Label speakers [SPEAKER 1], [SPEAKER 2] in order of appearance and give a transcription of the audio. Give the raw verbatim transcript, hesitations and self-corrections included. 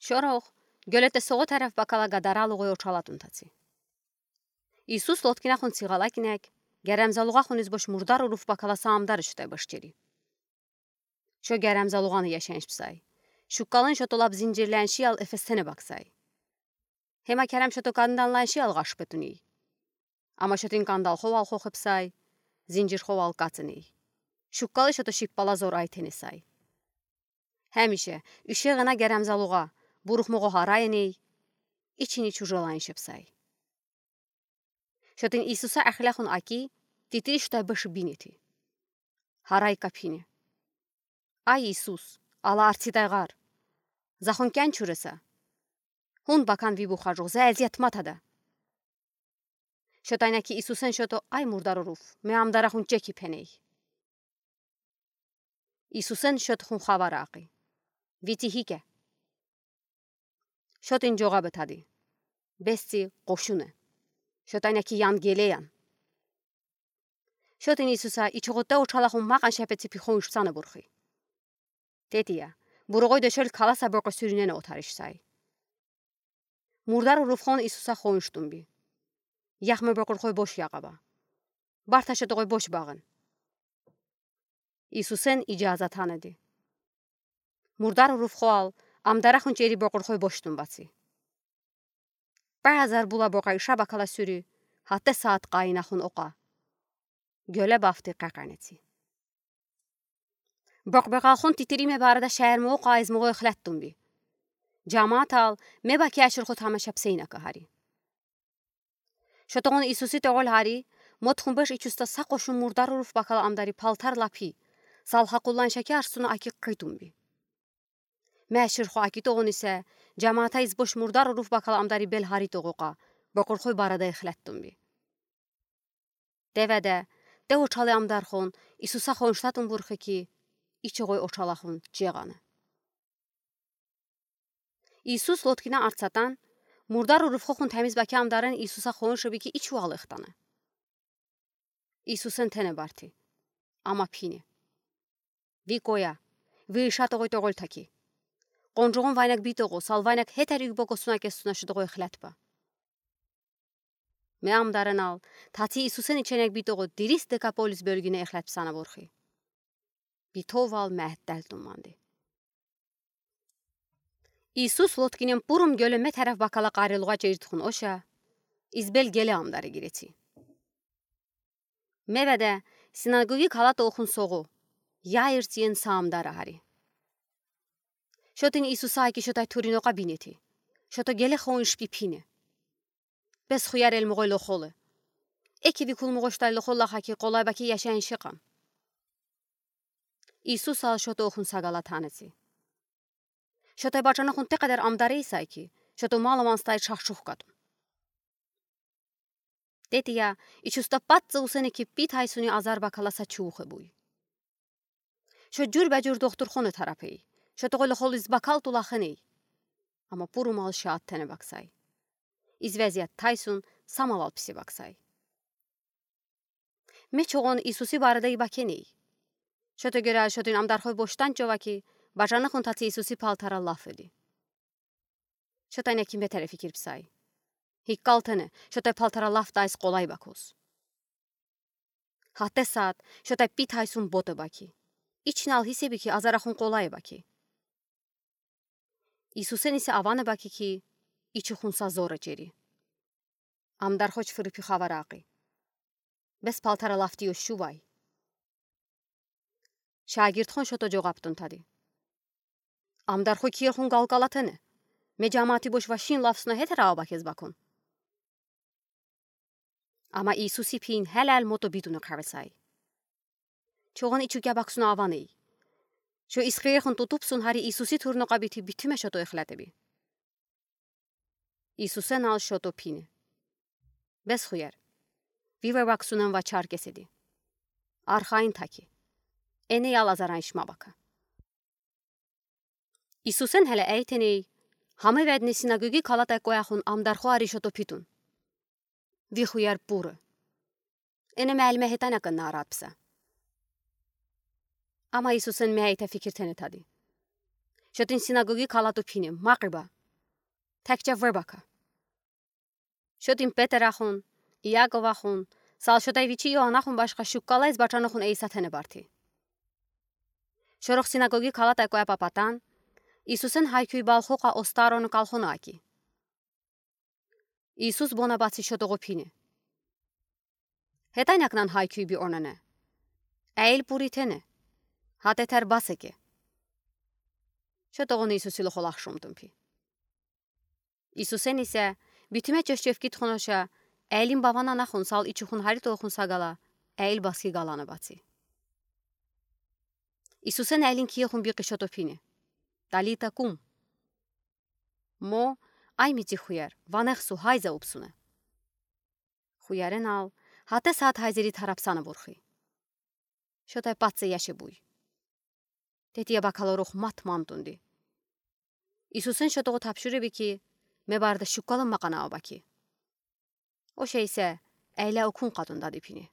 [SPEAKER 1] Շորող գոլետը սողոտ հարավ բակալա գադարալ ուղի օչալատ ունտացի։ Իսուս լոտկինա խուն ցիղալակինեք, գերամզալուղա խունից բոշ մուրդար ուրուֆ բակալա սամդարը շտե բշչերի։ Շո գերամզալուղանը եշենշ պսայ, շուկալն շոտոլապ զինջիրլանշի ալ էֆեսթենը բակսայ։ Հեմա քերամ շոտո կանդան լանշի ալ գաշպետունի։ Ամա շոտին կանդալ խոვალ խոխպսայ, զինջիր խոვალ կացնի։ Շուկալը շոտո շիպպալազոր այթենեսայ։ Həmişə üşəğına gərəmzalığa, buruxmuğu harayını, içini çujolayın şepsay. Şotin İsusa əxləxun aki, titiri şutay başı bineti. Haray kapini. Ay İsus, ala artsidayğar. Zaxun kən çurəsə. Hun bakan vi buxajoq, zəziyyət matada. Şotaynaki İsusen şoto ay murdaruruf, me amdaraxun çeki peney. İsusen şotxun xavaraqi. Վիճի հիկե Շոտին ջողաբը թադի Բեսցի qoşune Շոտայնակի յան գելեյան Շոտին Իսուսա իչողոտե օչալախուն մաղան շապեցի պիխոն իշծանը բուրխի Տետիա բուրողոյ դեշել քալասա բոկը սյուրինենը օթարիշսայ Մուրդար ուրուֆխոն Իսուսա խոյնշտումբի Յախմը բոկրխոյ բոշ յաղաբա Բարթաշետողոյ բոշ բաղն Իսուսեն իջազատ հանեդի Murdar uruf xoal, amdaraxun çeri boqurxoy boşdun batsi. Bazar bula boqay şabakala sürü, hatta saat qaynaxun oqa. Gölə bafti qaqanetsi. Boqbaqalxun titirime barada şəhərmə oqa izmoğu ixlətdun bi. Camaat al, me baki əşirxu tamaşab seyna qahari. Şotoğun İsusi toğul hari, motxun baş içusta saqoşun murdar uruf bakala amdari paltar lapi, salhaqullan şəki arsuna aki qıydun bi. Məşir xo aki toğun isə cəmaata iz boş murdar uruf bakal amdari bel hari toğuqa boqurxoy barada ixlətdun bi. Devədə de oçalı amdar xon İsusa xonştatun burxi ki içoğoy oçalaxun cəğanı. İsus lotkina artsatan murdar uruf xon təmiz baki amdarın İsusa xonşu bi ki iç ualıqtanı. İsusun tene barti. Ama pini. Vi qoya. Vi şatoğoy toğol taki. Qonjoğun vaynak bitoğu, salvaynak hetəri übogosuna kesuna şudoğu ixlətba. Me amdarın al, tati İsusen içenek bitoğu diris Dekapolis bölgüne ixlətbsana borxi. Bitov al məhəddəl dummandı. İsus lotkinin purum gölüme tərəf bakala qarılığa çeyrtxun oşa, izbel gele amdarı gireti. Mevədə sinagogi kalat oxun soğu, yayırtiyen saamdara hari. Şotin İsusa ki şotay turinoqa bineti. Şoto gele xonş pipine. Bes xuyar el moğoy loxolu. Eki vi kul moğoştay loxolla xaki qolay baki yaşayan şiqam. İsus al şoto oxun sagala tanesi. Şotay baçana xun te qədər amdare isay ki, şoto malamanstay çaxşuq qadun. Tetiya, içusta patza usene ki pit haysuni azar bakalasa çuğu buy. Şo cür bəcür doktor xonu terapeyi. Şotoğolu xol iz bakal tulaxını. Ama purumal şaat tene baksay. İz vəziyyət taysun samaval pisi baksay. Me çoğun İsusi barada ibakeni. Şoto görə şotin amdarxoy boştan çova ki, bacanı xun tatı İsusi paltara laf edi. Şotay nə kimə tərəf fikir psay. Hikkaltını, şotay paltara laf dayız qolay bakos. Hatta saat, şotay pit haysun botu baki. İçin al hisebi ki azaraxun qolay baki. İsusen ise avanı baki ki, içi xunsa zora ceri. Amdarxoç fırıpı xavaraqi. Bes paltara laf diyo şuvay. Şagirdxon şoto coğaptun tadı. Amdarxo kirxun qalqalatını. Me camati boş vaşin lafsına heter ağa bakez bakun. Ama İsusi pin helal moto bidunu kavesay. Çoğun içuge baksuna avanı. Şo isxirxun tutupsun hari İsusi turnoqa biti bitime şoto ixlətebi. İsusen al şoto pini. Bes xuyar. Vive baksunan va çar kesedi. Arxain taki. Ene yal azaran işma baka. İsusen hele eyteney. Hamı vədni sinagogi kalatay qoyaxun amdarxo ari şoto pitun. Vi xuyar puru. Ene məlmə hetanaqın naratpsa. Ama İsusen mehayte fikir tene tadı. Շոտին սինագոգի քալատու փինի, մաղրիբա։ Թակչա վրբակա։ Շոտին Պետերախուն, Իակովախուն, Սալշոտայվիչի Յոհանախուն բաշխա շուկկալայց բաճանախուն էյսաթենը բարթի։ Շորող սինագոգի քալատայկոյա պապատան, Իսուսեն հայքյուի բալխոխա օստարոնը կալխոնակի։ Իսուս բոնաբացի շոտողո փինի։ Հետանյակնան հայքյուի բի օրնանե։ Այլ պուրիթենը, հատեթար բասեկե։ Շոտողոն Իսուսի լոխոլախ շոմտումպի։ Իսուսեն իսե, բիթիմե ճշճևկիտ խոնոշա, այլին բավանանախուն սալ իչուխուն հարի տողխուն սագալա, այլ բասկի գալանը բացի։ Իսուսեն այլին կիեխուն բի կշոտոփինի։ Տալիտա կում։ Մո այ միծի խույար, վանեղսու հայզա ուպսունը։ Խույարեն ալ, հատես հատ հայզերի թարապսանը որխի։ Շոտայ պատսը яշե բույ։ Տետիա բակալորող մատ մանտունդի։ Իսուսեն շոտողը թապշուրը բիքի, մե բարդը շուկալը մaqana աբակի։ Օշեյսե, այլա օքուն կատուն դադիփինի։